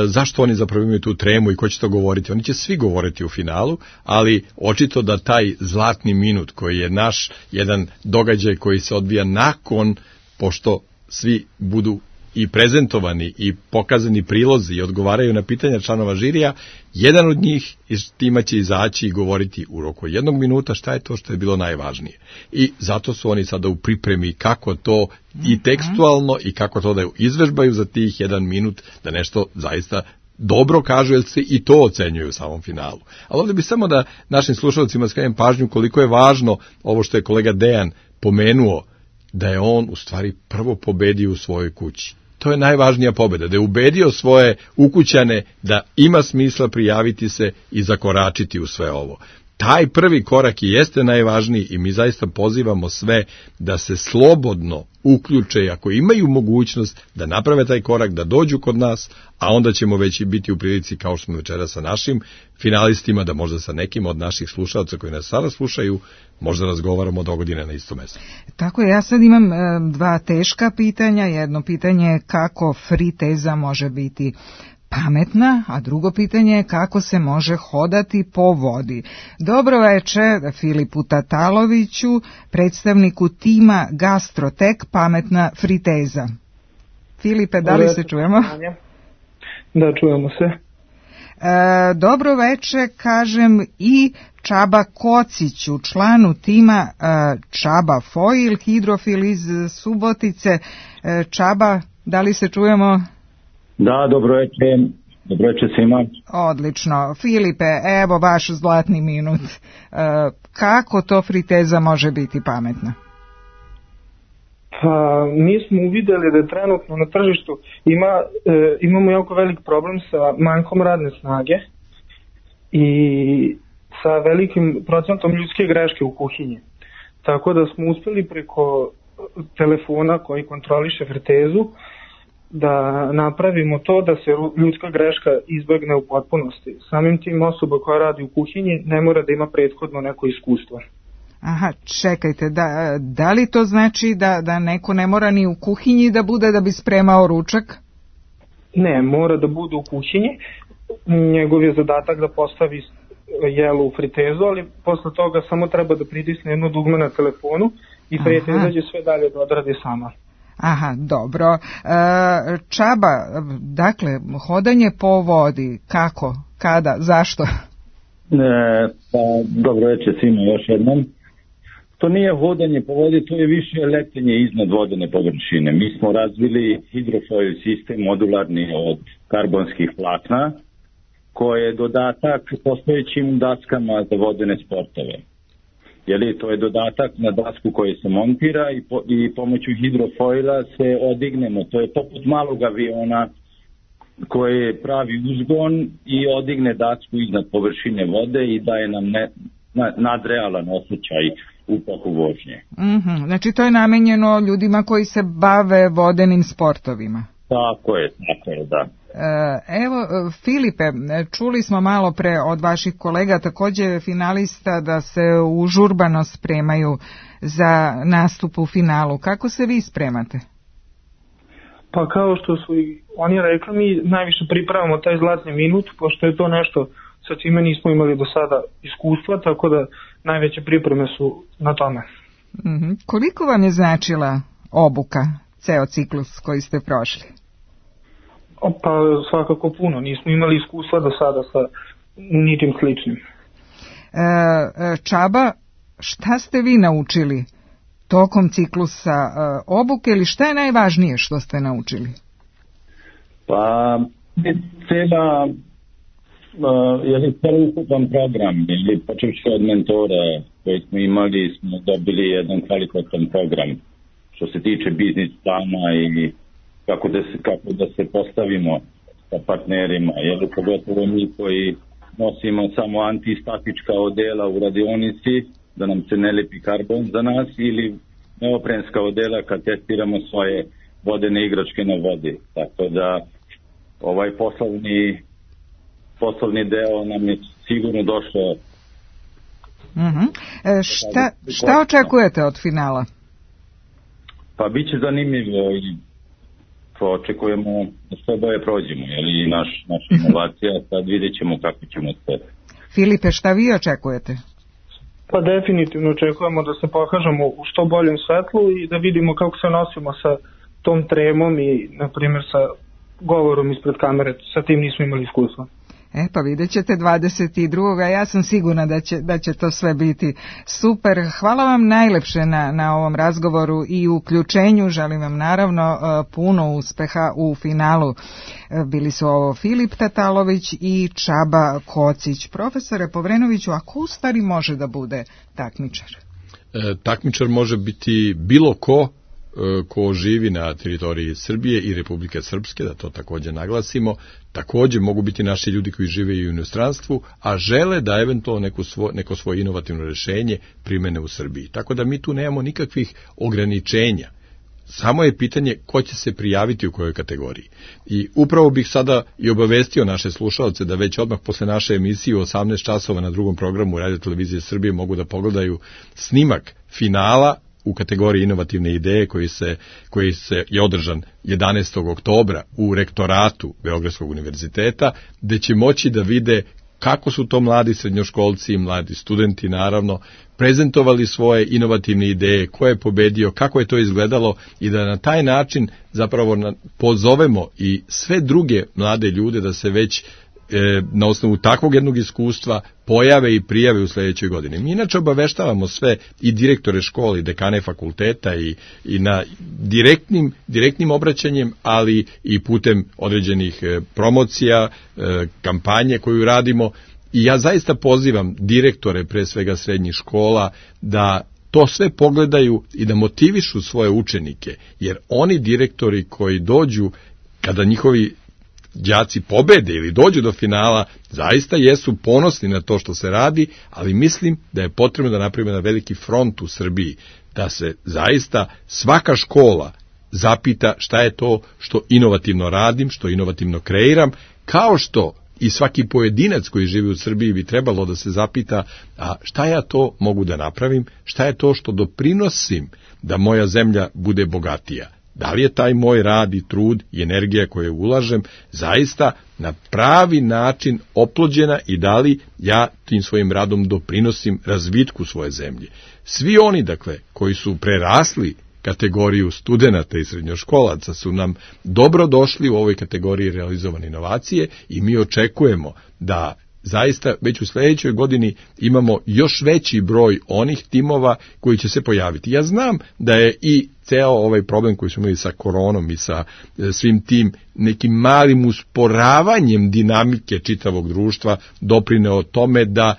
zašto oni zapravo imaju tu tremu i ko će to govoriti. Oni će svi govoriti u finalu, ali očito da taj zlatni minut koji je naš jedan događaj koji se odvija nakon, pošto svi budu i prezentovani i pokazani prilozi i odgovaraju na pitanja članova žirija, jedan od njih iz tima će izaći i govoriti u roku 1 minuta šta je to što je bilo najvažnije. I zato su oni sada u pripremi kako to i tekstualno i kako to da izvežbaju za tih 1 minut da nešto zaista dobro kažu, jer se i to ocenjuju u samom finalu. Ali ovdje bi samo da našim slušalcima skrenem pažnju koliko je važno ovo što je kolega Dejan pomenuo, da je on u stvari prvo pobedio u svojoj kući. To je najvažnija pobjeda, da je ubedio svoje ukućane da ima smisla prijaviti se i zakoračiti u sve ovo. Taj prvi korak i jeste najvažniji i mi zaista pozivamo sve da se slobodno uključe, ako imaju mogućnost da naprave taj korak, da dođu kod nas, a onda ćemo već i biti u prilici, kao što smo večera sa našim finalistima, da možda sa nekim od naših slušalaca koji nas sada slušaju, možda razgovaramo dogodine na isto mjesto. Tako je, ja sad imam 2 teška pitanja. Jedno pitanje je kako friteza može biti pametna, a drugo pitanje je kako se može hodati po vodi. Dobro veče Filipu Tataloviću, predstavniku tima Gastrotek Pametna friteza. Filipe, da li se čujemo? Da, čujemo se. Dobro veče, kažem i Čaba Kociću, članu tima Čaba Foil, hidrofil iz Subotice. Čaba, da li se čujemo? Da, dobro veče svima. Odlično. Filipe, evo vaš zlatni minut. Kako to friteza može biti pametna? Pa, mi smo uvidjeli da je trenutno na tržištu imamo jako velik problem sa manjkom radne snage i sa velikim procentom ljudske greške u kuhinji. Tako da smo uspjeli preko telefona koji kontroliše fritezu da napravimo to da se ljudska greška izbjegne u potpunosti. Samim tim osoba koja radi u kuhinji ne mora da ima prethodno neko iskustvo. Aha, čekajte, da li to znači da neko ne mora ni u kuhinji da bude da bi spremao ručak? Ne, mora da bude u kuhinji. Njegov je zadatak da postavi jelo u fritezu, ali posle toga samo treba da pritisne jedno dugme na telefonu i friteza će sve dalje da odradi sama. Aha, dobro. Čaba, dakle, hodanje po vodi, kako, kada, zašto? Pa, dobro večer svima još jednom. To nije hodanje po vodi, to je više letenje iznad vodene površine. Mi smo razvili hidrofoil sistem modularni od karbonskih vlakna, koje je dodatak postojećim daskama za vodene sportove. To je dodatak na dasku koji se montira i pomoću hidrofoila se odignemo. To je poput malog aviona koje pravi uzgon i odigne dasku iznad površine vode i daje nam nadrealan osjećaj u toku vožnje. Znači to je namenjeno ljudima koji se bave vodenim sportovima. Tako je, da. Evo, Filipe, čuli smo malo pre od vaših kolega, također finalista, da se užurbano spremaju za nastup u finalu. Kako se vi spremate? Pa kao što su i oni rekli, mi najviše pripravamo taj zlatni minut, pošto je to nešto sa čime nismo imali do sada iskustva, tako da najveće pripreme su na tome. Koliko vam je značila obuka, ceo ciklus koji ste prošli? Pa svakako puno, nismo imali iskustva do sada sa ničim sličnim. Čaba, šta ste vi naučili tokom ciklusa obuke ili šta je najvažnije što ste naučili? Pa cela ukupan program, počevši od mentora koji smo imali, smo dobili jedan kvalitetan program što se tiče biznis plana i kako da se postavimo sa partnerima, pogotovo mi koji nosimo samo antistatička odela u radionici, da nam se ne lepi karbon za nas, ili neoprenska odela kad testiramo svoje vodene igračke na vodi. Tako da ovaj poslovni deo nam je sigurno došao. Šta očekujete od finala? Pa bit će zanimljivo i očekujemo da sve boje prođemo, i naša inovacija, sad vidjet ćemo kako ćemo sve. Filipe, šta vi očekujete? Pa definitivno očekujemo da se pokažemo u što boljem svetlu i da vidimo kako se nosimo sa tom tremom i, na primjer, sa govorom ispred kamere. Sa tim nismo imali iskustva. Pa vidjet ćete 22. Ja sam sigurna da će to sve biti super. Hvala vam najlepše na ovom razgovoru i uključenju. Želim vam naravno puno uspeha u finalu. Bili su ovo Filip Tatalović i Čaba Kocić. Profesore Povrenoviću, a ko u stvari može da bude takmičar? Takmičar može biti bilo ko živi na teritoriji Srbije i Republike Srpske, da to također naglasimo. Također mogu biti naši ljudi koji žive i u inostranstvu, a žele da eventualno neko svoje inovativno rješenje primene u Srbiji. Tako da mi tu nemamo nikakvih ograničenja. Samo je pitanje ko će se prijaviti u kojoj kategoriji. I upravo bih sada i obavestio naše slušalce da već odmah posle naše emisije u 18 časova na drugom programu Radio Televizije Srbije mogu da pogledaju snimak finala u kategoriji inovativne ideje koji se je održan 11. oktobra u rektoratu Beogradskog univerziteta, gde će moći da vide kako su to mladi srednjoškolci i mladi studenti, naravno, prezentovali svoje inovativne ideje, ko je pobedio, kako je to izgledalo i da na taj način zapravo pozovemo i sve druge mlade ljude da se već na osnovu takvog jednog iskustva pojave i prijave u sljedećoj godini. Mi inače obaveštavamo sve i direktore škole i dekane fakulteta i na direktnim obraćanjem, ali i putem određenih promocija, kampanje koju radimo. I ja zaista pozivam direktore, pre svega srednjih škola, da to sve pogledaju i da motivišu svoje učenike, jer oni direktori koji dođu, kada njihovi đaci pobede ili dođu do finala, zaista jesu ponosni na to što se radi, ali mislim da je potrebno da napravimo na veliki front u Srbiji, da se zaista svaka škola zapita šta je to što inovativno radim, što inovativno kreiram, kao što i svaki pojedinac koji živi u Srbiji bi trebalo da se zapita, a šta ja to mogu da napravim, šta je to što doprinosim da moja zemlja bude bogatija. Da li je taj moj rad i trud i energija koju ulažem zaista na pravi način oplođena i da li ja tim svojim radom doprinosim razvitku svoje zemlje. Svi oni, dakle, koji su prerasli kategoriju studenata i srednjoškolaca su nam dobro došli u ovoj kategoriji realizovane inovacije i mi očekujemo da zaista već u sljedećoj godini imamo još veći broj onih timova koji će se pojaviti. Ja znam da je i ceo ovaj problem koji smo imali sa koronom i sa svim tim nekim malim usporavanjem dinamike čitavog društva doprineo tome da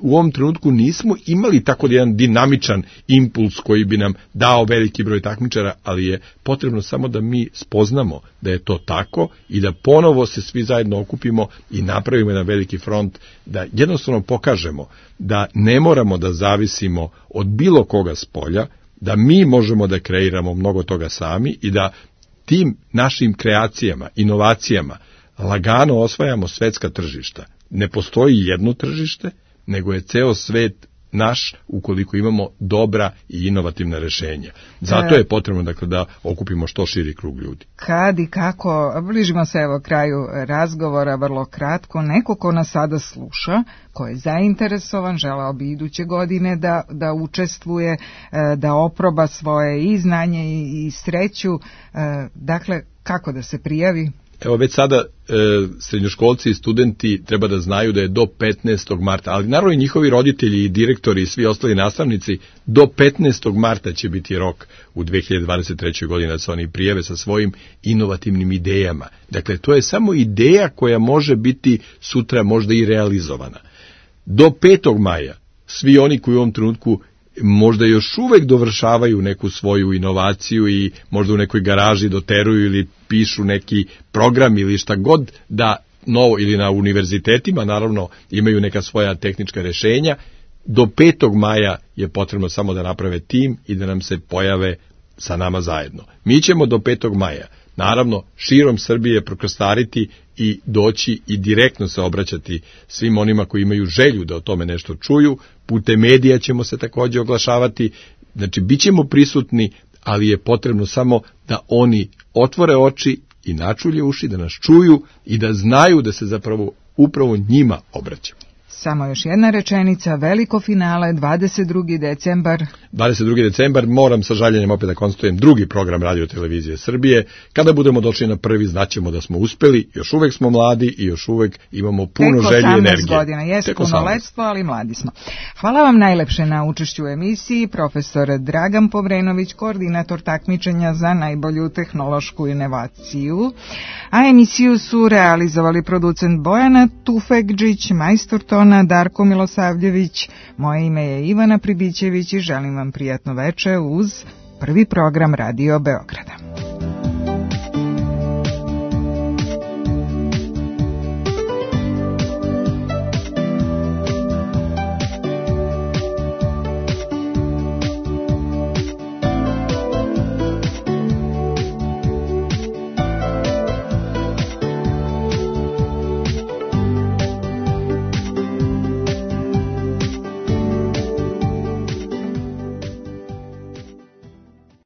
u ovom trenutku nismo imali tako jedan dinamičan impuls koji bi nam dao veliki broj takmičara, ali je potrebno samo da mi spoznamo da je to tako i da ponovo se svi zajedno okupimo i napravimo jedan veliki front, da jednostavno pokažemo da ne moramo da zavisimo od bilo koga s polja, da mi možemo da kreiramo mnogo toga sami i da tim našim kreacijama, inovacijama lagano osvajamo svetska tržišta. Ne postoji jedno tržište, nego je ceo svet naš ukoliko imamo dobra i inovativna rešenja. Zato je potrebno dakle, da okupimo što širi krug ljudi. Kad i kako, bližimo se evo kraju razgovora, vrlo kratko, neko ko nas sada sluša, ko je zainteresovan, želeo bi iduće godine da učestvuje, da oproba svoje i znanje i sreću, dakle kako da se prijavi? Evo već sada srednjoškolci i studenti treba da znaju da je do 15. marta, ali naravno i njihovi roditelji i direktori i svi ostali nastavnici, do 15. marta će biti rok u 2023. godini da se oni prijave sa svojim inovativnim idejama. Dakle, to je samo ideja koja može biti sutra možda i realizovana. Do 5. maja svi oni koji u ovom trenutku možda još uvek dovršavaju neku svoju inovaciju i možda u nekoj garaži doteruju ili pišu neki program ili šta god da novo, ili na univerzitetima naravno imaju neka svoja tehnička rešenja, do 5. maja je potrebno samo da naprave tim i da nam se pojave sa nama zajedno. Mi ćemo do 5. maja naravno širom Srbije prokostariti i doći i direktno se obraćati svim onima koji imaju želju da o tome nešto čuju. Putem medija ćemo se također oglašavati, znači bit ćemo prisutni, ali je potrebno samo da oni otvore oči i načulje uši, da nas čuju i da znaju da se zapravo upravo njima obraćamo. Samo još jedna rečenica, veliko finale, 22. decembar. 22. decembar, moram sa žaljenjem opet da konstatujem drugi program Radio Televizije Srbije. Kada budemo došli na prvi, znaćemo da smo uspeli, još uvek smo mladi i još uvek imamo puno želje i energije. Tek 18 godina, jes punoletstvo, ali mladi smo. Hvala vam najlepše na učešću u emisiji, profesor Dragan Povrenović, koordinator takmičenja za najbolju tehnološku inovaciju. A emisiju su realizovali producent Bojana Tufekđić, majstor tona Darko Milosavljević, moje ime je Ivana Pribićević i želim vam prijatno veče uz prvi program Radio Beograda.